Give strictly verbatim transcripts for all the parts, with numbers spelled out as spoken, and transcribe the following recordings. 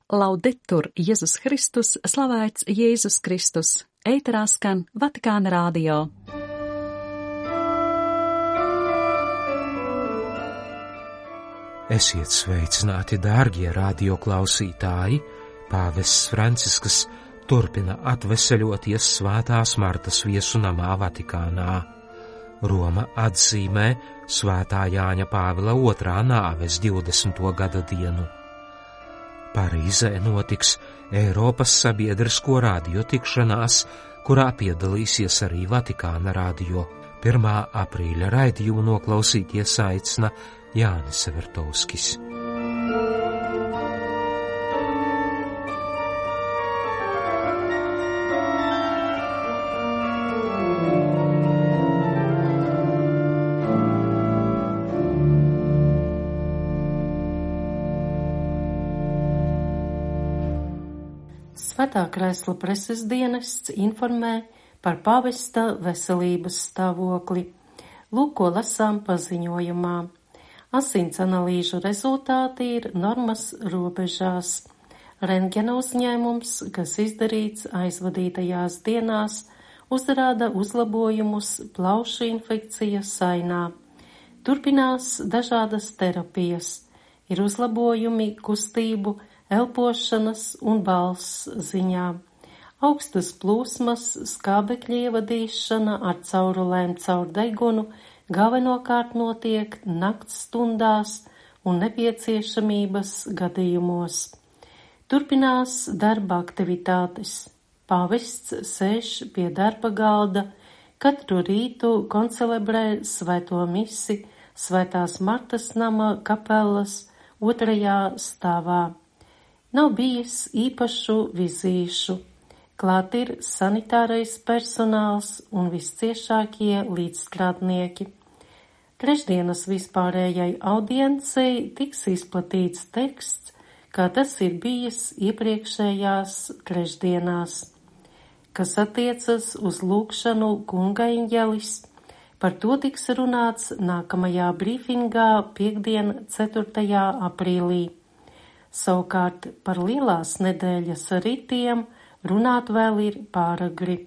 Laudetur Jēzus Kristus, slavēts Jēzus Kristus, ēterā skan Vatikāna radio. Esiet sveicināti, dārgie radioklausītāji! Pāvests Francisks turpina atveseļoties Svētās Martas viesunamā Vatikānā. Roma atzīmē Svētā Jāņa Pāvila otrā nāves divdesmito gada dienu. Parīzē notiks Eiropas sabiedrisko radio tikšanās, kurā piedalīsies arī Vatikāna radio. pirmā aprīļa raidījumu noklausīties aicina Jānis Severtovskis. Svētā Kresla preses dienests informē par pāvesta veselības stāvokli. Lūk, ko lasām paziņojumā. Asins analīžu rezultāti ir normas robežās. Rentgena uzņēmums, kas izdarīts aizvadītajās dienās, uzrāda uzlabojumus plaušu infekcijas sainā. Turpinās dažādas terapijas. Ir uzlabojumi kustību, elpošanas un balss ziņā. Augstas plūsmas, skābekļa ievadīšana ar caurulēm caur degunu galvenokārt notiek nakts stundās un nepieciešamības gadījumos. Turpinās darba aktivitātes. Pāvests sēž pie darba galda, katru rītu koncelebrē svēto misi Svētās Martas nama kapelas otrajā stāvā. Nav bijis īpašu vizīšu. Klāt ir sanitārais personāls un visciešākie līdzstrādnieki. Trešdienas vispārējai audiencei tiks izplatīts teksts, kā tas ir bijis iepriekšējās trešdienās. Kas attiecas uz lūgšanu Kunga eņģelis, par to tiks runāts nākamajā brīfingā piektdien, ceturtajā aprīlī. Savukārt par lielās nedēļas ritiem runāt vēl ir pāragri.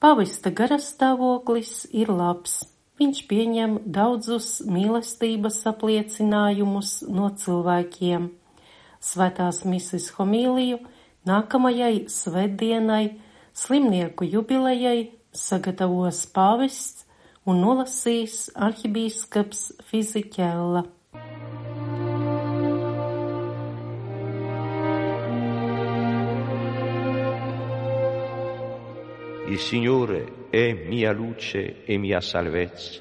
Pavesta garastāvoklis ir labs. Viņš pieņem daudzus mīlestības apliecinājumus no cilvēkiem. Svētās mises homīliju nākamajai svētdienai, slimnieku jubilejai sagatavos pāvests un nolasīs arhibīskaps Fizikella. Il Signore è mia luce e mia salvezza.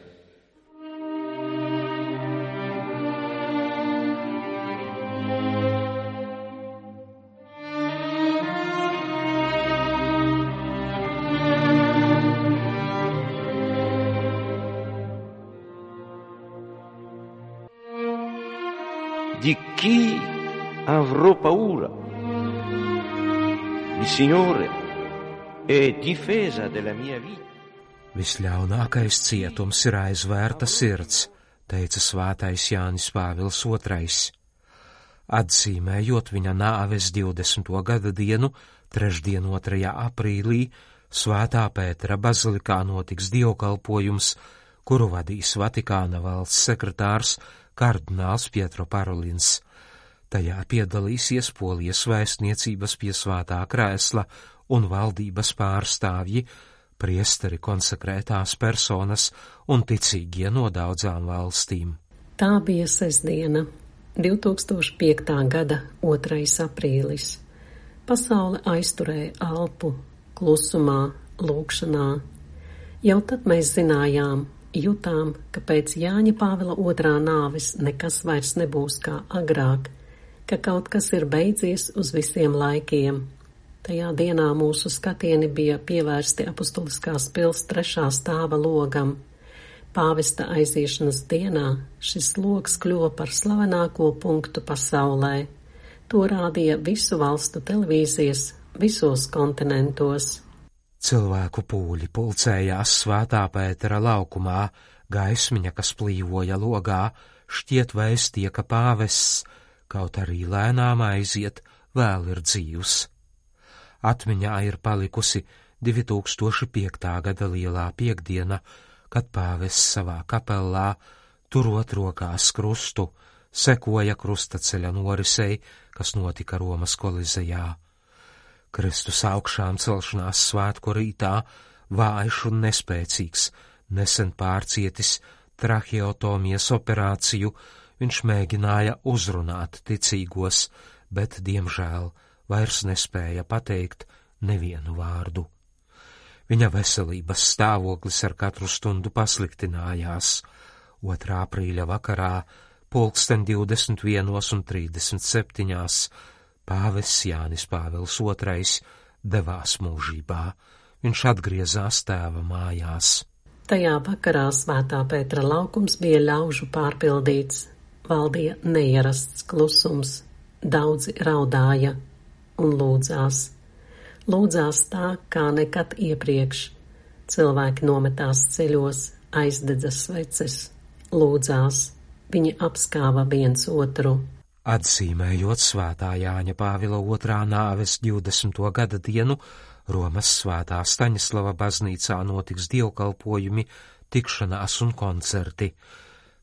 Di chi avrò paura? Il Signore e difesa della mia vita. Visļaunākais cietums ir aizvērta sirds, teica svētais Jānis Pāvils otrais. Atzīmējot viņa nāves divdesmito gada dienu, trešdien otrajā aprīlī, Svētā Pētera bazilikā notiks dievkalpojums, kuru vadīs Vatikāna valsts sekretārs kardināls Pietro Parolins. Tajā piedalīsies Polijas vēstniecības pie Svētā Krēsla un valdības pārstāvji, priesteri, konsekrētās personas un ticīgie no daudzām valstīm. Tā bija sestdiena, divtūkstoš piektā gada otrais aprīlis. Pasaule aizturēja elpu, klusumā, lūgšanā. Jau tad mēs zinājām, jutām, ka pēc Jāņa Pāvila otrā nāves nekas vairs nebūs kā agrāk, ka kaut kas ir beidzies uz visiem laikiem. Tajā dienā mūsu skatieni bija pievērsti apustuliskās pils trešā stāva logam. Pāvesta aiziešanas dienā šis logs kļuva par slavenāko punktu pasaulē. To rādīja visu valstu televīzijas visos kontinentos. Cilvēku pūļi pulcējās Svētā Pētera laukumā, gaismiņa, kas plīvoja logā, šķiet vēstīja, ka pāvests, kaut arī lēnām aiziet, vēl ir dzīvs. Atmiņā ir palikusi divi tūkstoši piekta gada lielā piekdiena, kad pāvests savā kapellā, turot rokās krustu, sekoja krustaceļa norisei, kas notika Romas kolizejā. Kristus augšām celšanās svētku rītā, vājš un nespēcīgs, nesen pārcietis traheotomijas operāciju, viņš mēģināja uzrunāt ticīgos, bet, diemžēl, vairs nespēja pateikt nevienu vārdu. Viņa veselības stāvoklis ar katru stundu pasliktinājās. otrā aprīļa vakarā, pulksten divdesmit vienos un trīsdesmit septiņās, pāvests Jānis Pāvils otrais devās mūžībā. Viņš atgriezās tēva mājās. Tajā vakarā Svētā Pētera laukums bija ļaužu pārpildīts. Valdīja neierasts klusums. Daudzi raudāja un lūdzās. Lūdzās tā, kā nekad iepriekš. Cilvēki nometās ceļos, aizdedza sveces, lūdzās. Viņi apskāva viens otru. Atzīmējot Svētā Jāņa Pāvila otrā nāves divdesmito gada dienu, Romas Svētā Staņislava baznīcā notiks dievkalpojumi, tikšanās un koncerti.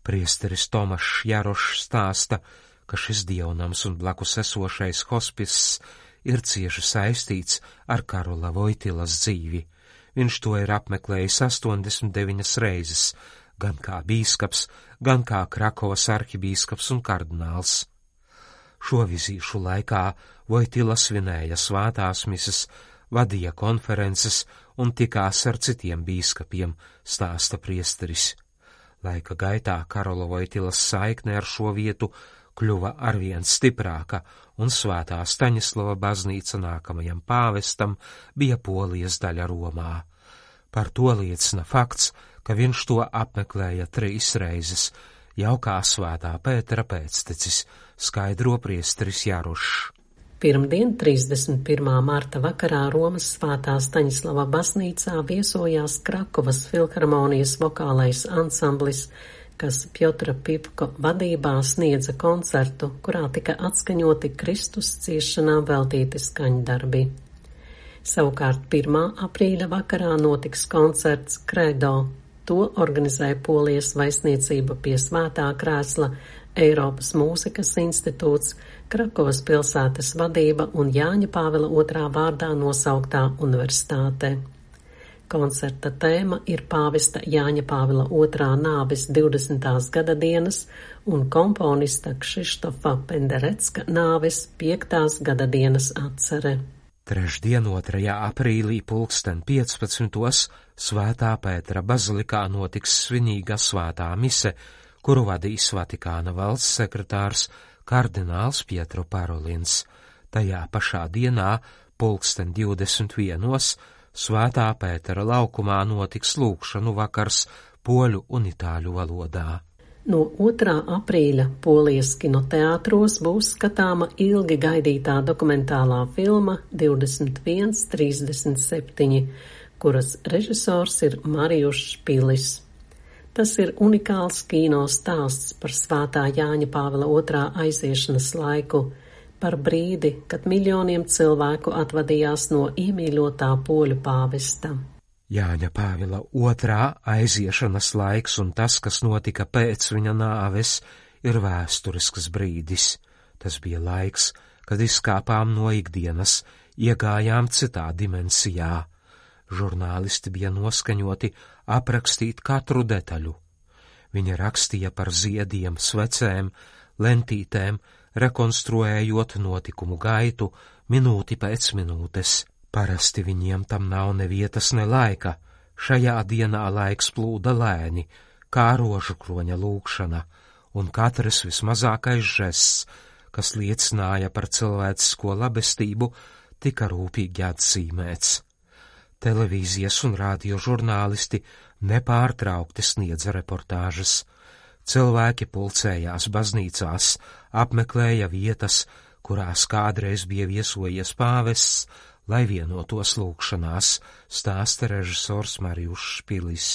Priesteris Tomašs Jarošs stāsta, ka šis dievnams un blakus esošais hospiss ir cieši saistīts ar Karola Vojtilas dzīvi. Viņš to ir apmeklējis astoņdesmit deviņas reizes, gan kā bīskaps, gan kā Krakovas arhibīskaps un kardināls. Šo vizīšu laikā Vojtila svinēja svētās mises, vadīja konferences un tikās ar citiem bīskapiem, stāsta priesteris. Laika gaitā Karola Vojtilas saikne ar šo vietu kļuva arvien stiprāka, un Svētā Staņislava baznīca nākamajam pāvestam bija Polijas daļa Romā. Par to liecina fakts, ka viņš to apmeklēja trīs reizes, jau kā Svētā Pētera pēctecis, skaidro priesteris Jarošs. Pirmdien, trīsdesmit pirmā marta vakarā Romas Svētā Staņislava baznīcā viesojās Krakovas filharmonijas vokālais ansamblis, kas Pjotra Pipko vadībā sniedza koncertu, kurā tika atskaņoti Kristus ciešanām veltīti skaņdarbi. Savukārt pirmā aprīļa vakarā notiks koncerts Credo. To organizēja Polijas vaisniecība pie Svētā krēsla, Eiropas mūzikas institūts, Krakovas pilsētas vadība un Jāņa Pāvila otrā vārdā nosauktā universitāte. Koncerta tēma ir pāvesta Jāņa Pāvila otrā nāves divdesmitās gada dienas un komponista Kšištofa Penderecka nāves piektās gada dienas atcere. Trešdien, otrajā aprīlī pulksten piecpadsmitos Svētā Pētera bazilikā notiks svinīga svētā mise, kuru vadīs Vatikāna valsts sekretārs kardināls Pietro Parolins. Tajā pašā dienā, pulksten divdesmit vienos, Svētā Pētera laukumā notiks lūgšanu vakars poļu un itāļu valodā. No otrā aprīļa Polijas kinoteātros būs skatāma ilgi gaidītā dokumentālā filma divdesmit viens trīsdesmit septiņi, kuras režisors ir Marijušs Pilis. Tas ir unikāls kino stāsts par Svētā Jāņa Pāvila otrā aiziešanas laiku, par brīdi, kad miljoniem cilvēku atvadījās no iemīļotā poļu pāvesta. Jāņa Pāvila otrā aiziešanas laiks un tas, kas notika pēc viņa nāves, ir vēsturisks brīdis. Tas bija laiks, kad izkāpām no ikdienas, iegājām citā dimensijā. Žurnālisti bija noskaņoti aprakstīt katru detaļu. Viņa rakstīja par ziediem, svecēm, lentītēm, rekonstruējot notikumu gaitu minūti pēc minūtes. Parasti viņiem tam nav ne vietas, ne laika. Šajā dienā laiks plūda lēni, kā rožu kroņa lūkšana, un katrs vismazākais žests, kas liecināja par cilvēcisko labestību, tika rūpīgi atzīmēts. Televīzijas un radio žurnālisti nepārtraukti sniedza reportāžas. Cilvēki pulcējās baznīcās, apmeklēja vietas, kurās kādreiz bija viesojies pāvests, lai vienotos lūgšanās, stāsta režisors Marijušs Pilis.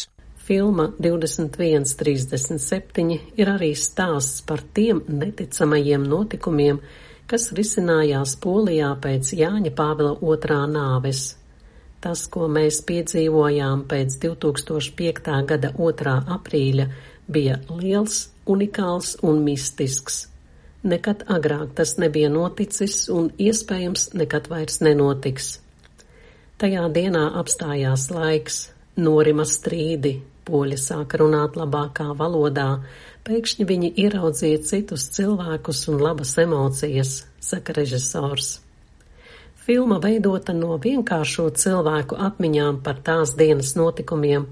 Filma divdesmit viens trīsdesmit septiņi ir arī stāsts par tiem neticamajiem notikumiem, kas risinājās Polijā pēc Jāņa Pāvila otrā nāves. Tas, ko mēs piedzīvojām pēc divi tūkstoši piektā gada otrā aprīļa, bija liels, unikāls un mistisks. Nekad agrāk tas nebija noticis un iespējams nekad vairs nenotiks. Tajā dienā apstājās laiks, norima strīdi, poļi sāka runāt labākā valodā, pēkšņi viņi ieraudzīja citus cilvēkus un labas emocijas, saka režisors. Filma veidota no vienkāršo cilvēku atmiņām par tās dienas notikumiem,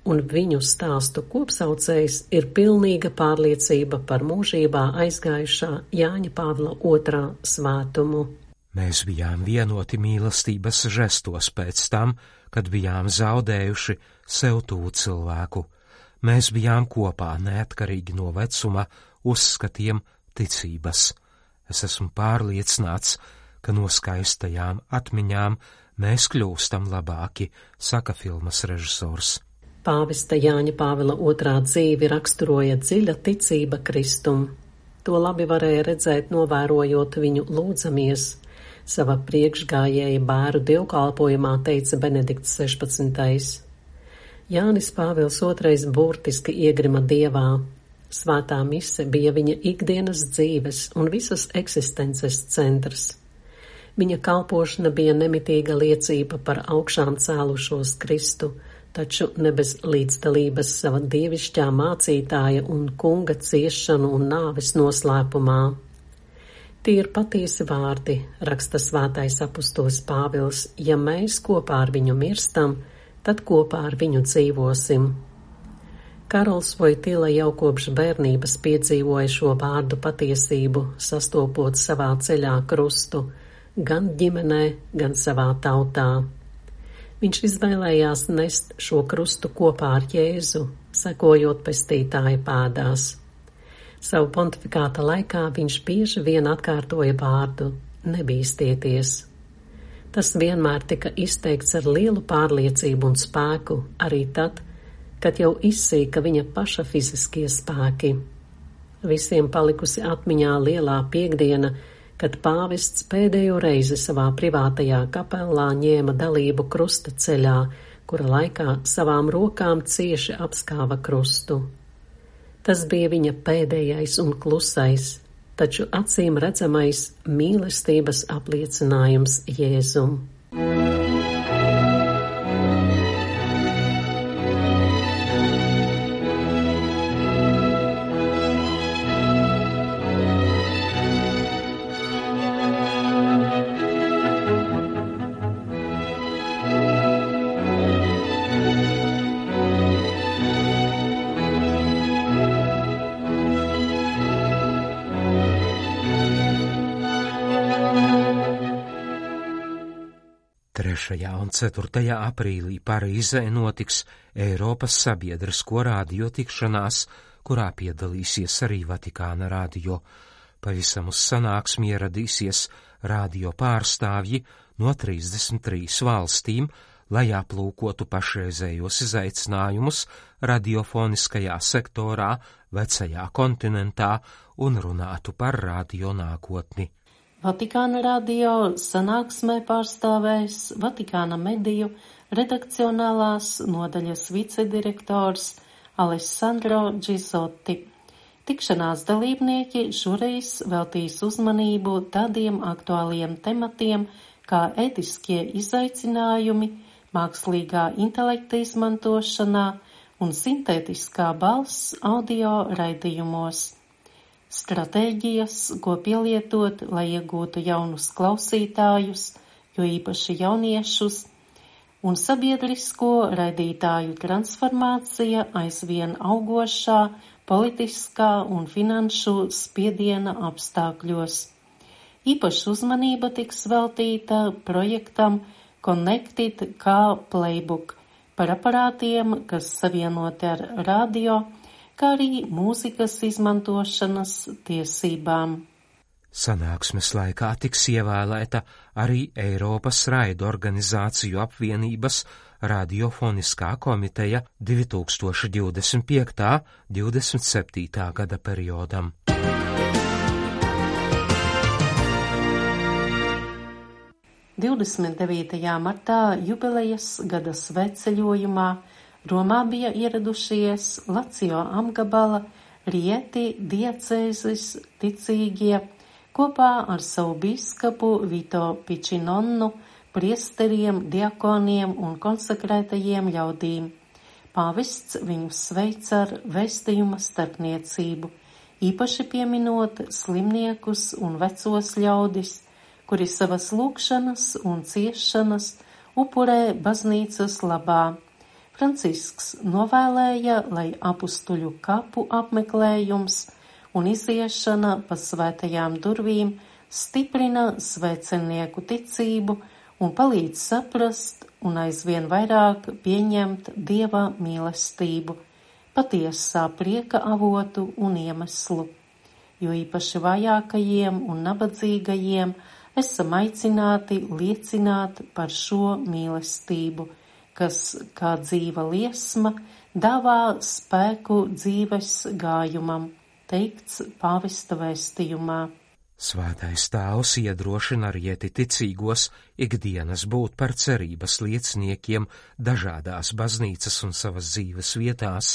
un viņu stāstu kopsaucējs ir pilnīga pārliecība par mūžībā aizgājušā Jāņa Pāvila otrā svētumu. Mēs bijām vienoti mīlestības žestos pēc tam, kad bijām zaudējuši sev tuvu cilvēku. Mēs bijām kopā neatkarīgi no vecuma, uzskatiem, ticības. Es esmu pārliecināts, ka no skaistajām atmiņām mēs kļūstam labāki, saka filmas režisors. Pāvesta Jāņa Pāvila otrā dzīvi raksturoja dziļa ticība Kristum. To labi varēja redzēt, novērojot viņu lūdzamies. Sava priekšgājēja bēru dievkalpojumā teica Benedikts sešpadsmitais. Jānis Pāvils otrais burtiski iegrima Dievā. Svētā mise bija viņa ikdienas dzīves un visas eksistences centrs. Viņa kalpošana bija nemitīga liecība par augšām cēlušos Kristu, taču ne bez līdzdalības sava dievišķā mācītāja un kunga ciešanu un nāves noslēpumā. Tie ir patiesi vārdi, raksta svētais apustulis Pāvils, ja mēs kopā ar viņu mirstam, tad kopā ar viņu dzīvosim. Karols Vojtila jau kopš bērnības piedzīvoja šo vārdu patiesību, sastopot savā ceļā krustu, gan ģimenē, gan savā tautā. Viņš izvēlējās nest šo krustu kopā ar Jēzu, sekojot pestītāja pēdās. Savu pontifikāta laikā viņš bieži vien atkārtoja vārdu nebīstieties. Tas vienmēr tika izteikts ar lielu pārliecību un spēku, arī tad, kad jau izsīka viņa paša fiziskie spēki. Visiem palikusi atmiņā lielā piekdiena, kad pāvests pēdējo reizi savā privātajā kapelā ņēma dalību krusta ceļā, kura laikā savām rokām cieši apskāva krustu. Tas bija viņa pēdējais un klusais, taču acīm redzamais mīlestības apliecinājums Jēzum. trešajā un ceturtajā aprīlī Parīzē notiks Eiropas sabiedrisko radio tikšanās, kurā piedalīsies arī Vatikāna radio. Pavisam uz sanāksmi ieradīsies radio pārstāvji no trīsdesmit trīs valstīm, lai aplūkotu pašreizējos izaicinājumus radiofoniskajā sektorā, vecajā kontinentā un runātu par radio nākotni. Vatikāna radio sanāksmē pārstāvēs Vatikāna mediju redakcionālās nodaļas vicedirektors Alessandro Gizotti. Tikšanās dalībnieki šoreiz veltīs uzmanību tādiem aktuāliem tematiem kā ētiskie izaicinājumi, mākslīgā intelekta izmantošanā un sintētiskā balss audio raidījumos. Stratēģijas, ko pielietot, lai iegūtu jaunus klausītājus, jo īpaši jauniešus, un sabiedrisko raidītāju transformācija aizvien augošā politiskā un finanšu spiediena apstākļos. Īpaša uzmanība tiks veltīta projektam Connected kā Playbook par aparātiem, kas savienoti ar radio, kā arī mūzikas izmantošanas tiesībām. Sanāksmes laikā tiks ievēlēta arī Eiropas raidorganizāciju apvienības radiofoniskā komiteja divi tūkstoši divdesmit piektajā līdz divdesmit septītajā gada periodam. divdesmit devītajā martā jubilejas gada svētceļojumā Romā bija ieradušies Lazio apgabala Rieti diecēzes ticīgie kopā ar savu bīskapu Vito Pičinonnu, priesteriem, diakoniem un konsekrētajiem ļaudīm. Pāvests viņus sveic ar vēstījuma starpniecību, īpaši pieminot slimniekus un vecos ļaudis, kuri savas lūgšanas un ciešanas upurē baznīcas labā. Francisks novēlēja, lai apustuļu kapu apmeklējums un iziešana pa svētajām durvīm stiprina svēcenieku ticību un palīdz saprast un aizvien vairāk pieņemt Dieva mīlestību, patiesā prieka avotu un iemeslu, jo īpaši vājākajiem un nabadzīgajiem esam aicināti liecināt par šo mīlestību, kas, kā dzīva liesma, dāvā spēku dzīves gājumam, teikts pāvesta vēstījumā. Svētais Tēvs iedrošina Rieti ticīgos ikdienas būt par cerības lieciniekiem dažādās baznīcas un savas dzīves vietās,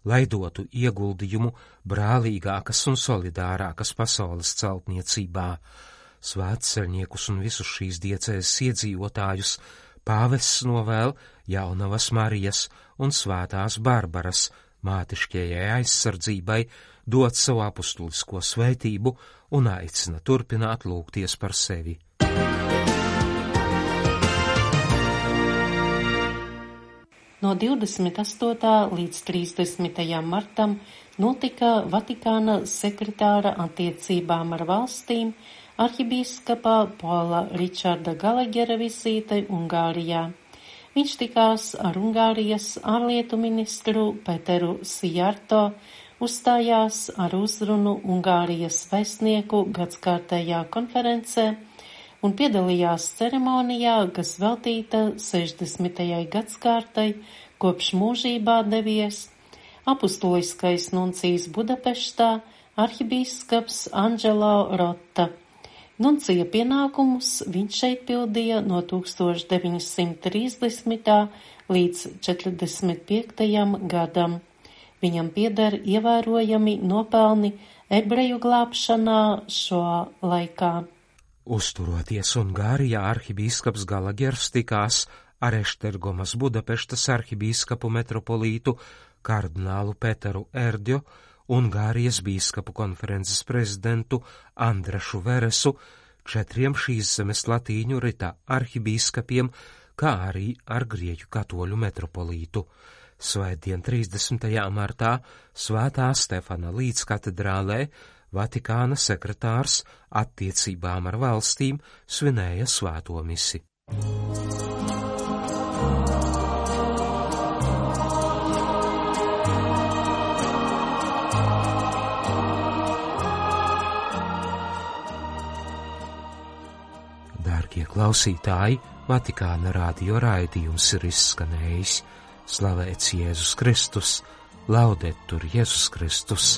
lai dotu ieguldījumu brālīgākas un solidārākas pasaules celtniecībā. Svētceļniekus un visus šīs diecēzes iedzīvotājus pāvests novēl Jaunavas Marijas un Svētās Barbaras mātišķajai aizsardzībai dot savu apustulisko svētību un aicina turpināt lūgties par sevi. No divdesmit astotā līdz trīsdesmitajam martam notika Vatikāna sekretāra attiecībām ar valstīm arhibīskapa Pola Ričarda Galegera vizīte Ungārijā. Viņš tikās ar Ungārijas ārlietu ministru Peteru Sijarto, uzstājās ar uzrunu Ungārijas vēstnieku gadskārtējā konferencē un piedalījās ceremonijā, kas veltīta sešdesmitajai gadskārtai, kopš mūžībā devies apustuliskais nuncijs Budapeštā arhibīskaps Angelo Rotta. Nuncija pienākumus viņš šeit pildīja no tūkstoš deviņsimt trīsdesmitā līdz četrdesmit piektajam gadam. Viņam pieder ievērojami nopelni ebreju glābšanā šo laikā. Uzturoties Ungārijā, arhibīskaps Galagers tikās ar Eštergomas Budapeštas arhibīskapu metropolītu kardinālu Peteru Erdju, Ungārijas bīskapu konferences prezidentu Andrašu Veresu, četriem šīs zemes latīņu rita arhibīskapiem, kā arī ar grieķu katoļu metropolītu. Svētdien trīsdesmitajā martā Svētā Stefana līdzkatedrālē Vatikāna sekretārs attiecībām ar valstīm svinēja svēto misi. Dārgie klausītāji, Vatikāna radio raidījums ir izskanējis. Slavēts Jēzus Kristus, laudetur Jēzus Kristus.